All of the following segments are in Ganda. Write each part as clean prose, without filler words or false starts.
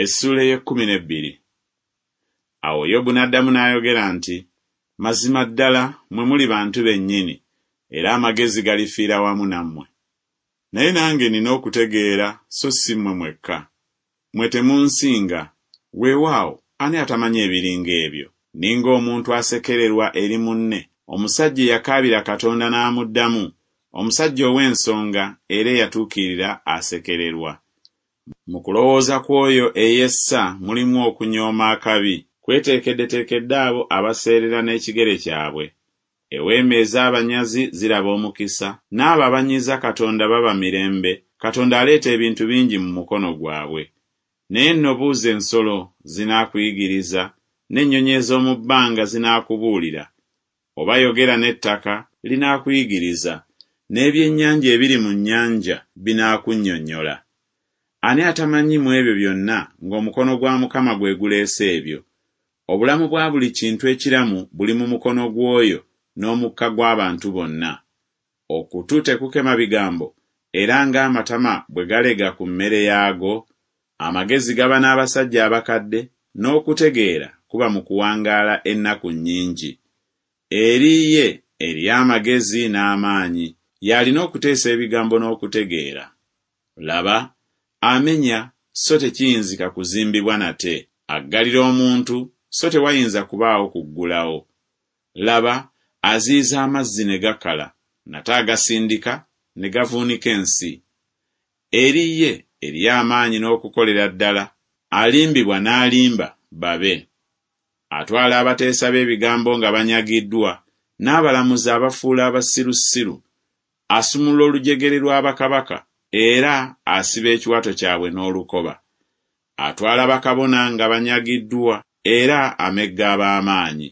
Essuula ey'ekkumi n'ebbiri. Awo Yobu n'addamu n'ayogera nti, Mazima ddala mmwe muli bantu bennyini, era amagezi galifiira wamu nammwe. Naye nange nnina okutegeera so si mmwe mwekka. Mmwe temunsinga. Weewaawo, ani atamanyi ebiri ng'ebyo? Nninga omuntu asekererwa eri munne, omusajja eyakaabira Katonda n'amuddamu, omusajja ow'ensonga era eyatuukirira asekererwa. Mu kulowooza kw'oyo eyessa mulimu okunyooma akabi. Kweteekeddeteekedde abo abaseerera n'ekigere kyabwe. Eweema ez'abanyazi ziraba omukisa, n'abo abanyiiza Katonda baba mirembe, Katonda aleeta ebintu bingi mu mukono gwabwe. Naye nno buuza ensolo, zinaakuyigiriza, n'ennyonyi ez'omu bbanga zinaakubuulira. Oba yogera n'ettaka, linaakuyigiriza, n'ebyennyanja ebiri mu nnyanja binaakunnyonnyola. Ani atamanyi mu ebyo byonna ng'omukono gwa Mukama gwe guleese ebyo? Obulamu bwa buli kintu ekiramu buli mu mukono gw'oyo, n'omukka gw'abantu bonna. Okutu tekukema bigambo, era ng'amatama bwe galega ku mmere yaago? Amagezi gaba n'abasajja abakadde, n'okutegeera kuba mu kuwangaala ennaku nnyingi. Eri ye eriyo amagezi n'amaanyi, y'alina okuteesa ebigambo n'okutegeera. Laba, amenya, so tekiyinzika kuzimbibwa nate, aggalira omuntu, so tewayinza kubaawo kuggulawo. Laba, aziyiza amazzi ne gakala, nate agasindika, ne gavuunika ensi. Eri ye eriyo amaanyi n'okukolera ddala, alimbibwa n'alimba babe. Atwala abateesa b'ebigambo nga banyagiddwa, n'abalamuzi abafuula abasirusiru. Asumulula olujegere lwa bakabaka, era asiba ekiwato kyabwe n'olukoba. Atwala bakabona nga banyagiddwa, era amegga ab'amaanyi.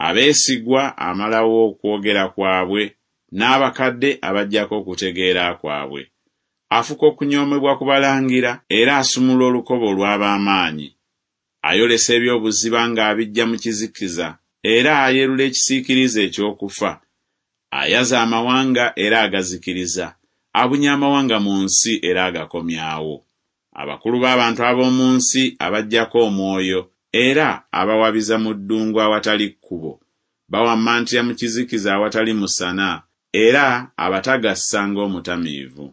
Abeesigwa amalawo okwogera kwabwe, n'abakadde abaggyako okutegeera kwabwe. Afuka okunyoomebwa ku balangira, era asumulula olukoba olw'ab'amaanyi. Ayolesa eby'obuziba ng'abiggya mu kizikiza, era ayerula ekisiikirize eky'okufa. Ayaza amawanga era agazikiriza, abunya amawanga mu nsi era agakomyawo. Abakulu b'abantu ab'omu nsi abaggyako omwoyo, era abawabiza mu ddungu awatali kkubo. Bawammantira mu kizikiza awatali musana, era abatagassa ng'omutamiivu.